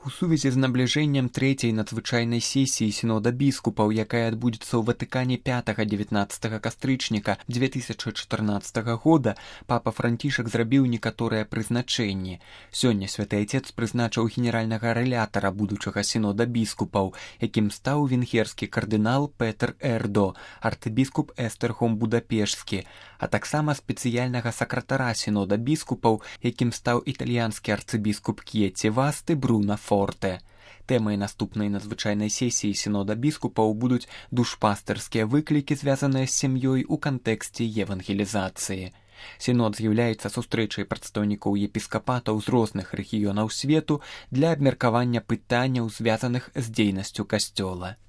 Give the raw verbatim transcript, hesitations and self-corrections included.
У сувязі з набліжэннем трэцяй надзвычайнай сесіі сінода біскупаў, якая адбудзецца ў Ватыкане пятага-дзевятнаццатага кастрычніка дзве тысячы чатырнаццатага года, папа Францішак зрабіў некаторыя прызначэнні. Сёння святы айцец прызначыў генеральнага рэлятара будучага сінода біскупаў, якім стаў венгерскі кардынал Петр Эрдо, арцыбіскуп Эстэрхом Будапешскі, а таксама спецыяльнага сакратара сінода біскупаў, якім стаў італьянскі арцыбіскуп К'еці Васты Бруна Форте. Тэмай наступнай надзвычайнай сесіі сінода біскупаў будуць душпастэрскія выклікі, звязаныя з сям'ёй у кантэксце евангелізацыі. Сінод з'яўляецца сустрэчай прадстаўнікоў епіскапатаў з розных рэгіёнаў свету для абмеркавання пытанняў, звязаных з дзейнасцю касцёла.